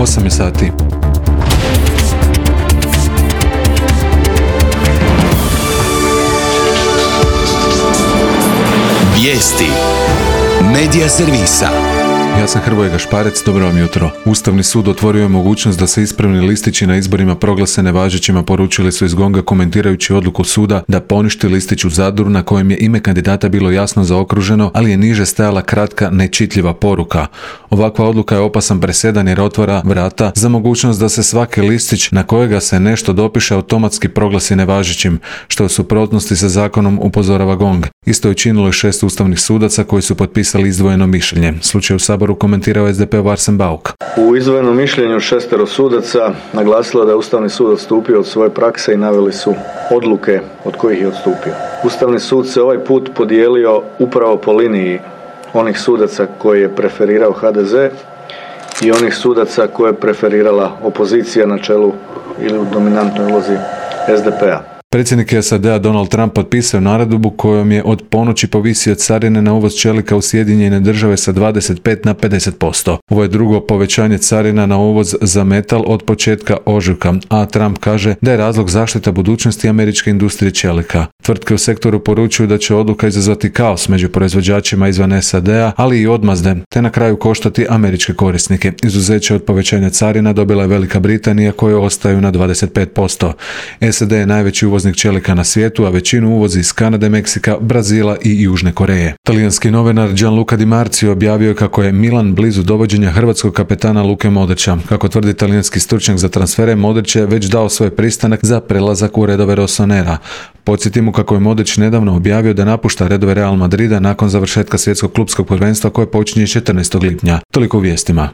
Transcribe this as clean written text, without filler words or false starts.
8 je sati. Vijesti Medija servisa. Ja sam Hrvoje Gašparec, dobro vam jutro. Ustavni sud otvorio je mogućnost da se ispravni listići na izborima proglase nevažećima, poručili su iz GONG-a komentirajući odluku suda da poništi listić u Zadru na kojem je ime kandidata bilo jasno zaokruženo, ali je niže stajala kratka, nečitljiva poruka. Ovakva odluka je opasan presedan jer otvara vrata za mogućnost da se svaki listić na kojega se nešto dopiše automatski proglasi nevažećim, što je u suprotnosti sa zakonom, upozorava GONG. Isto je činilo i 6 ustavnih sudaca koji su potpisali izdvojeno mišljenje. Slučaj u Saboru komentirao SDP-ov Arsen Bauk. U izdvojenom mišljenju 6 sudaca naglasilo da je Ustavni sud odstupio od svoje prakse i naveli su odluke od kojih je odstupio. Ustavni sud se ovaj put podijelio upravo po liniji onih sudaca koje je preferirao HDZ i onih sudaca koje je preferirala opozicija na čelu ili u dominantnoj ulozi SDP-a. Predsjednik SAD-a Donald Trump potpisao naredbu kojom je od ponoći povisio carine na uvoz čelika u Sjedinjene Države sa 25 na 50%. Ovo je drugo povećanje carina na uvoz za metal od početka ožujka, a Trump kaže da je razlog zaštita budućnosti američke industrije čelika. Tvrtke u sektoru poručuju da će odluka izazvati kaos među proizvođačima izvan SAD-a, ali i odmazde, te na kraju koštati američke korisnike. Izuzeće od povećanja carina dobila je Velika Britanija koje ostaju na 25%. SAD je najveći uvoznik čelika na svijetu, a većinu uvozi iz Kanade, Meksika, Brazila i Južne Koreje. Talijanski novinar Gianluca Di Marzio objavio je kako je Milan blizu dovođenja hrvatskog kapetana Luke Modrića. Kako tvrdi talijanski stručnjak za transfere, Modrić je već dao svoj pristanak za prelazak u redove Rossonera. Podsjetimo kako je Modrić nedavno objavio da napušta redove Real Madrida nakon završetka svjetskog klupskog prvenstva koje počinje 14. lipnja. Toliko u vijestima.